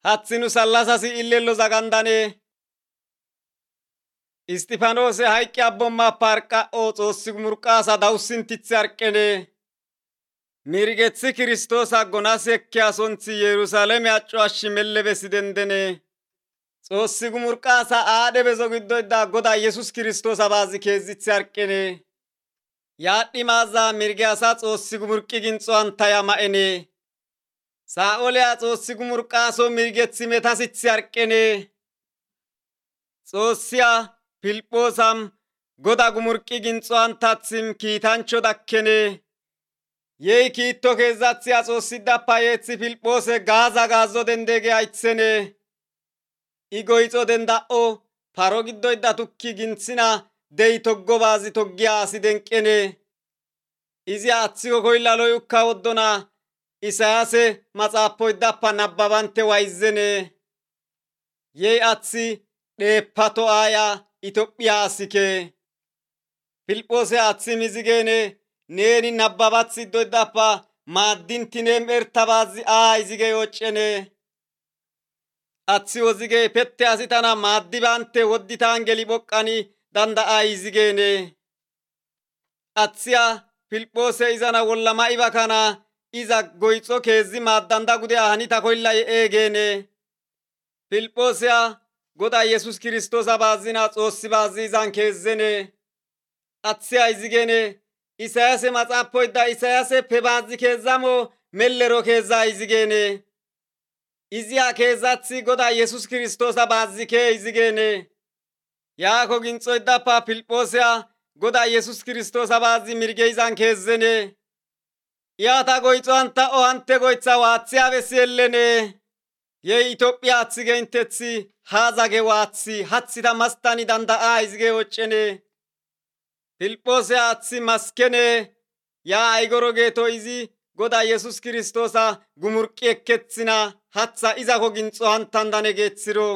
hathinu sallasasi illello zagandane Istifanose hayqqi abbomma parqa o xoossi murqaasa dawussintithe arqene mirgethi kiristoosa gonas ekkiyasonthi Yerusaaleme acco ashshi melle besidendene xoossi gumurqaasa aadhe bezo giddoyda goda Yesus Kiristoosa baazi keezithe arqene yaadhi maaza mirge asa xoossi gumurqi ginxo antaya ma'ene Saa'oleya xoossi gumurqaaso mirgethi metasithe arqene Xoossiya Filiphoosam goda gumurqi ginxo antathim kiitancho dakkene Yei kiitto keezathiya xoossidappa yeethi Filiphoose gaaza gaazzo dendege aythene Igoyxo denda'o paro giddoyda tukki ginthina dey toggo baazi toggiya asi denqene izi aththiko koyllaloy ukka woddona Isayaase maxaappoydappa nabbabante wayzene yey athi dheeppato aaya Itophiya asike Filiphoose athi mizigene neeni nabbabath iddoydappa maaddintinem ertabaazi izige yoccene athi wozige pette asi tana maaddibante wodditaan geli boqqani danda'a izigene athiya Filiphoose izana wollama iba kana iza goyxo keezi maaddanda gude hanita koylla eegene Filiphoosiya goda Yesus Kiristoosa baazina xoossi baazi izan keezene athiya izigene Isayaase maxaappoyda Isayaaseppe baazi keezamo mellero keeza izigene iziya keezathi goda Yesus Kiristoosa baazike izigene yaako ginxoydappa Filiphoosiya goda Yesus Kiristoosa baazi mirge izan keezene iyata goyxo anta o hante goytha waathiya bessi ellene yey Itophiya athi geintethi haazage waathi hathita mastani danda'a izige woccene Filiphoose athi maskene yaa aygoro geeto izi goda Yesus Kiristoosa gumurqi ekkethina hatha izako ginxo hantandane geeththiro